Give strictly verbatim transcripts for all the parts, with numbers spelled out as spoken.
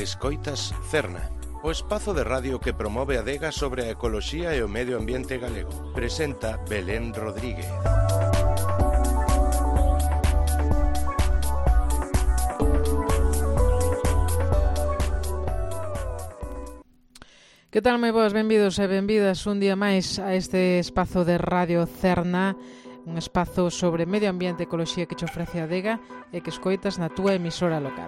Escoitas Cerna, o espazo de radio que promove a adega sobre a ecoloxía e o medio ambiente galego. Presenta Belén Rodríguez. Que tal, moi boas, benvidos e benvidas un día máis a este espazo de Radio Cerna, un espazo sobre medio ambiente e ecoloxía que te ofrece a adega e que escoitas na túa emisora local.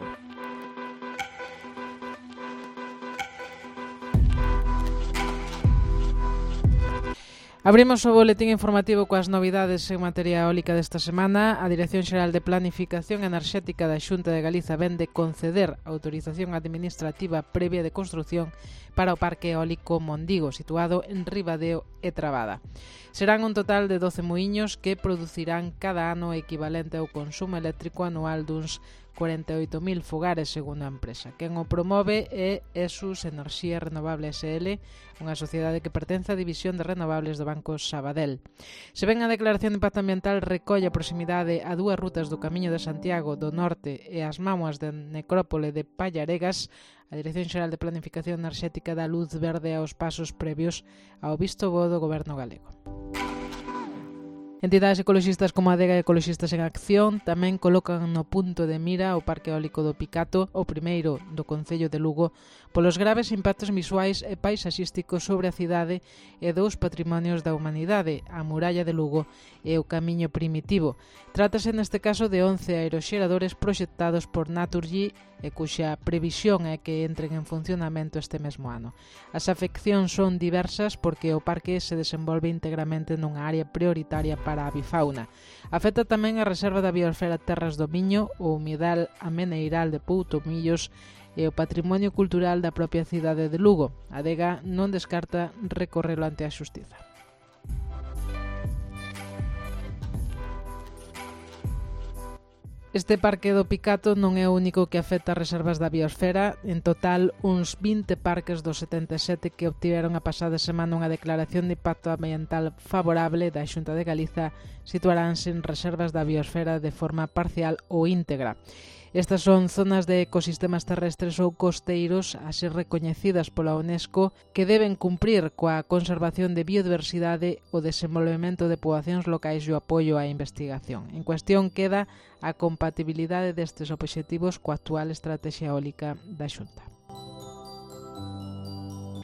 Abrimos o boletín informativo coas novidades en materia eólica desta semana. A Dirección Xeral de Planificación Enerxética da Xunta de Galiza ven de conceder autorización administrativa previa de construción para o Parque Eólico Mondigo, situado en Ribadeo e Trabada. Serán un total de doce muiños que producirán cada ano equivalente ao consumo eléctrico anual duns cuarenta e oito mil fogares, segundo a empresa. Quen o promove é ESUS Enerxía Renovable S L, unha sociedade que pertence á División de Renovables do Banco Sabadell. Se ben a declaración de impacto ambiental recolle a proximidade a dúas rutas do Camiño de Santiago do Norte e as mámoas de Necrópole de Pallaregas, a Dirección Xeral de Planificación Enerxética dá luz verde aos pasos previos ao visto bo do Goberno galego. Entidades ecoloxistas como a Adega e Ecoloxistas en Acción tamén colocan no punto de mira o Parque Eólico do Picato, o primeiro do Concello de Lugo, polos graves impactos visuais e paisaxísticos sobre a cidade e dous patrimonios da humanidade, a muralla de Lugo e o Camiño Primitivo. Trátase neste caso de once aeroxeradores proxectados por Naturgy e cuxa previsión é que entren en funcionamento este mesmo ano. As afeccións son diversas porque o parque se desenvolve íntegramente nunha área prioritaria para a avifauna. Afecta tamén a reserva da biosfera Terras do Miño, o humidal ameneiral de Poutomillos e o patrimonio cultural da propia cidade de Lugo. A adega non descarta recorrelo ante a xustiza. Este parque do Picato non é o único que afecta as reservas da biosfera. En total, uns vinte parques dos setenta e sete que obtiveron a pasada semana unha declaración de impacto ambiental favorable da Xunta de Galiza situaránse en reservas da biosfera de forma parcial ou íntegra. Estas son zonas de ecosistemas terrestres ou costeiros, así recoñecidas pola UNESCO, que deben cumprir coa conservación de biodiversidade, o desenvolvemento de poboacións locais e o apoio á investigación. En cuestión queda a compatibilidade destes obxectivos coa actual estrategia eólica da Xunta.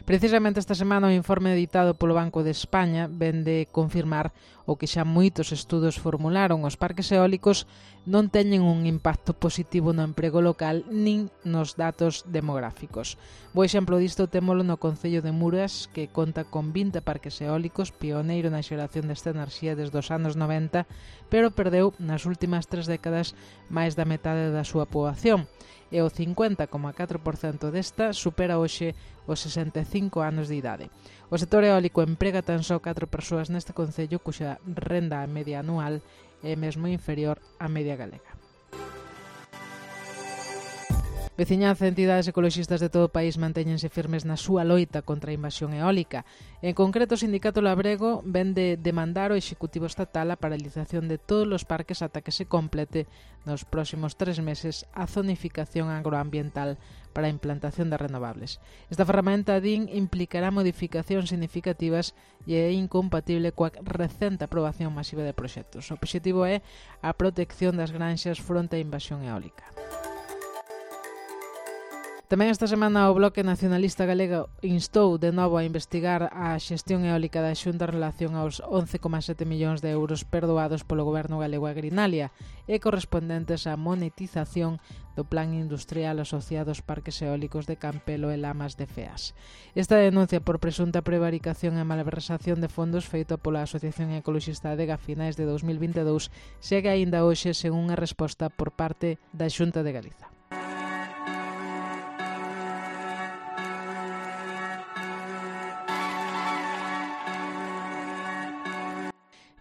Precisamente esta semana o informe editado polo Banco de España ven de confirmar o que xa moitos estudos formularon: os parques eólicos non teñen un impacto positivo no emprego local nin nos datos demográficos. Bo exemplo disto témolo no Concello de Muras, que conta con vinte parques eólicos, pioneiro na xeración desta enerxía desde os anos noventa, pero perdeu nas últimas tres décadas máis da metade da súa poboación, e o cincuenta coma catro por cento desta supera hoxe os sesenta e cinco anos de idade. O sector eólico emprega tan só catro persoas neste concello, cuxa renda media anual é mesmo inferior á media galega. Veciñanza e entidades ecoloxistas de todo o país mantéñense firmes na súa loita contra a invasión eólica. En concreto, o Sindicato Labrego ven de demandar ao Executivo Estatal a paralización de todos os parques ata que se complete nos próximos tres meses a zonificación agroambiental para a implantación de renovables. Esta ferramenta, din, implicará modificacións significativas e é incompatible coa recente aprobación masiva de proxectos. O obxectivo é a protección das granxas fronte á invasión eólica. Tamén esta semana o Bloque Nacionalista Galego instou de novo a investigar a xestión eólica da Xunta en relación aos once coma sete millóns de euros perdoados polo Goberno galego a Grinalia e correspondentes á monetización do Plan Industrial asociado aos parques eólicos de Campelo e Lamas de Feas. Esta denuncia por presunta prevaricación e malversación de fondos feita pola Asociación Ecoloxista Adega a finais de dous mil vinte e dous segue aínda hoxe sen unha resposta por parte da Xunta de Galiza.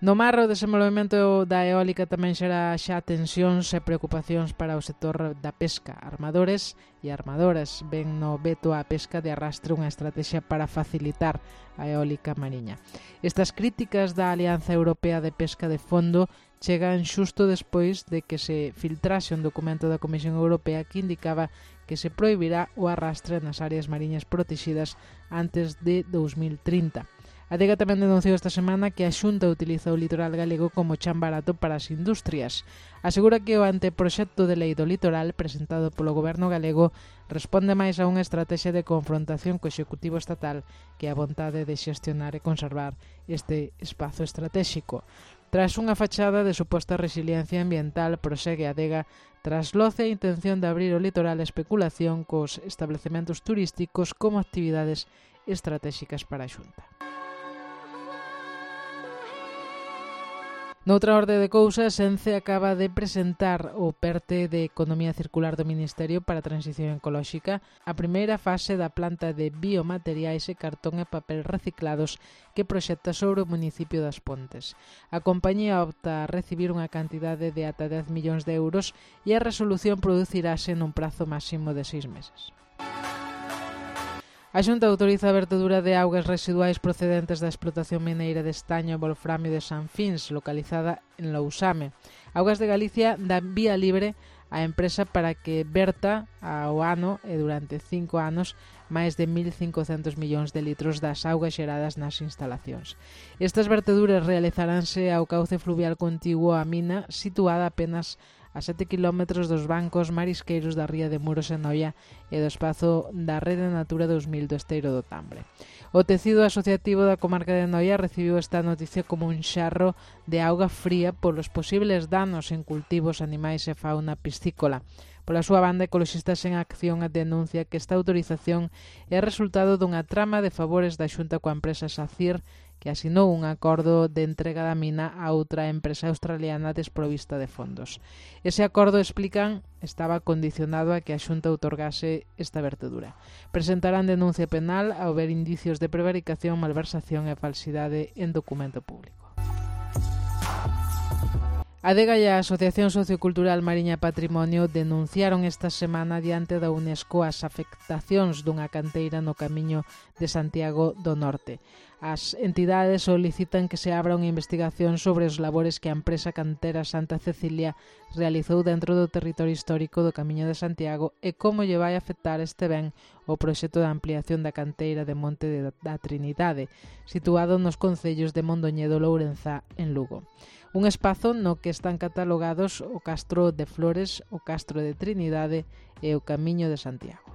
No mar, o desenvolvemento da eólica tamén xera xa tensións e preocupacións para o sector da pesca. Armadores e armadoras ven no veto á pesca de arrastre unha estrategia para facilitar a eólica mariña. Estas críticas da Alianza Europea de Pesca de Fondo chegan xusto despois de que se filtrase un documento da Comisión Europea que indicaba que se prohibirá o arrastre nas áreas mariñas protegidas antes de dous mil trinta. A Adega tamén denunciou esta semana que a Xunta utiliza o litoral galego como chan barato para as industrias. Asegura que o anteproxecto de lei do litoral presentado polo goberno galego responde máis a unha estrategia de confrontación co executivo estatal que a vontade de xestionar e conservar este espazo estratégico. Tras unha fachada de suposta resiliencia ambiental, prosegue a Adega trasloce a intención de abrir o litoral a especulación cos establecementos turísticos como actividades estratégicas para a Xunta. Noutra orde de cousas, Ence acaba de presentar o PERTE de Economía Circular do Ministerio para a Transición Ecolóxica, a primeira fase da planta de biomateriais e cartón e papel reciclados que proxecta sobre o municipio das Pontes. A compañía opta a recibir unha cantidade de ata dez millóns de euros e a resolución producirase nun prazo máximo de seis meses. A Xunta autoriza a vertedura de augas residuais procedentes da explotación mineira de estaño e wolframio de San Fins, localizada en Lousame. Augas de Galicia dá vía libre á empresa para que verta ao ano e durante cinco anos máis de mil cincocentos millóns de litros das augas xeradas nas instalacións. Estas verteduras realizaránse ao cauce fluvial contiguo á mina, situada apenas a sete kilómetros dos bancos marisqueiros da ría de Muros e Noia e do espazo da Rede Natura dos mil do Esteiro do Tambre. O tecido asociativo da comarca de Noia recibiu esta noticia como un xarro de auga fría polos posibles danos en cultivos, animais e fauna piscícola. Pola súa banda, Ecoloxistas en Acción denuncia que esta autorización é resultado dunha trama de favores da Xunta coa empresa SACIR, que asinou un acordo de entrega da mina a outra empresa australiana desprovista de fondos. Ese acordo, explican, estaba condicionado a que a Xunta outorgase esta vertedura. Presentarán denuncia penal ao ver indicios de prevaricación, malversación e falsidade en documento público. A Adega e a Asociación Sociocultural Mariña Patrimonio denunciaron esta semana diante da UNESCO as afectacións dunha canteira no Camiño de Santiago do Norte. As entidades solicitan que se abra unha investigación sobre os labores que a empresa cantera Santa Cecilia realizou dentro do territorio histórico do Camiño de Santiago e como lle vai afectar este ben o proxecto de ampliación da canteira de Monte da Trinidade, situado nos concellos de Mondoñedo, Lourenzá, en Lugo. Un espazo no que están catalogados o Castro de Flores, o Castro de Trinidade e o Camiño de Santiago.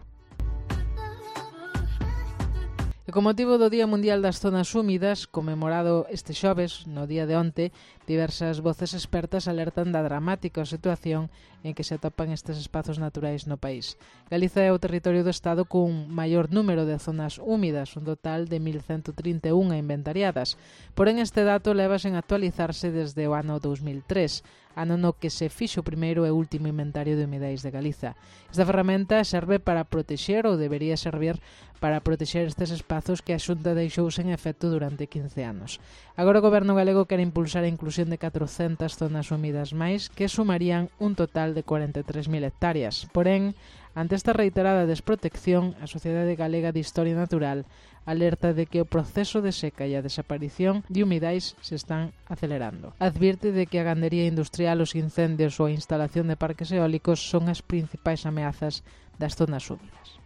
E con motivo do Día Mundial das Zonas Húmidas, conmemorado este xoves, no día de onte, diversas voces expertas alertan da dramática situación en que se atopan estes espazos naturais no país. Galiza é o territorio do Estado cun maior número de zonas húmidas, un total de mil ciento trinta e unha inventariadas. Porén, este dato leva sen actualizarse desde o ano dous mil tres, ano no que se fixo o primeiro e último inventario de humidais de Galiza. Esta ferramenta serve para protexer ou debería servir para protexer estes espazos que a Xunta deixou sen efecto durante quince anos. Agora o Goberno galego quere impulsar a inclusión de catrocentas zonas húmidas máis que sumarían un total de cuarenta e tres mil hectáreas. Porén, ante esta reiterada desprotección, a Sociedade Galega de Historia Natural alerta de que o proceso de seca e a desaparición de humidais se están acelerando. Advirte de que a gandería industrial, os incendios ou a instalación de parques eólicos son as principais ameazas das zonas húmidas.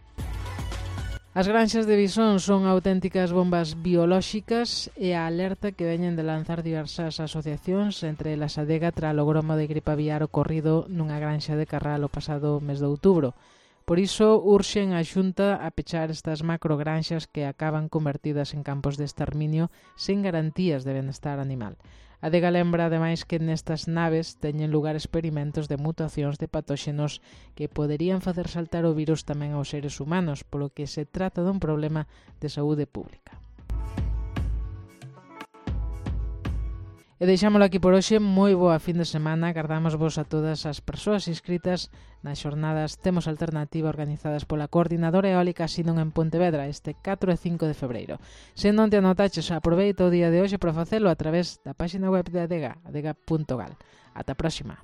As granxas de Visón son auténticas bombas biolóxicas e a alerta que veñen de lanzar diversas asociacións, entre elas a Adega, tras o gromo de gripe aviar ocorrido nunha granxa de Carral o pasado mes de outubro. Por iso, urxen a Xunta a pechar estas macrogranxas que acaban convertidas en campos de exterminio sen garantías de benestar animal. A Adega lembra, ademais, que nestas naves teñen lugar experimentos de mutacións de patóxenos que poderían facer saltar o virus tamén aos seres humanos, polo que se trata dun problema de saúde pública. E deixámolo aquí por hoxe. Moi boa fin de semana. Agardamos vos a todas as persoas inscritas nas xornadas Temos Alternativa organizadas pola Coordinadora Eólica Sinon en Pontevedra este catro e cinco de febreiro. Se non te anotaches, aproveita o día de hoxe para facelo a través da página web de Adega, adega punto gal. Ata a próxima.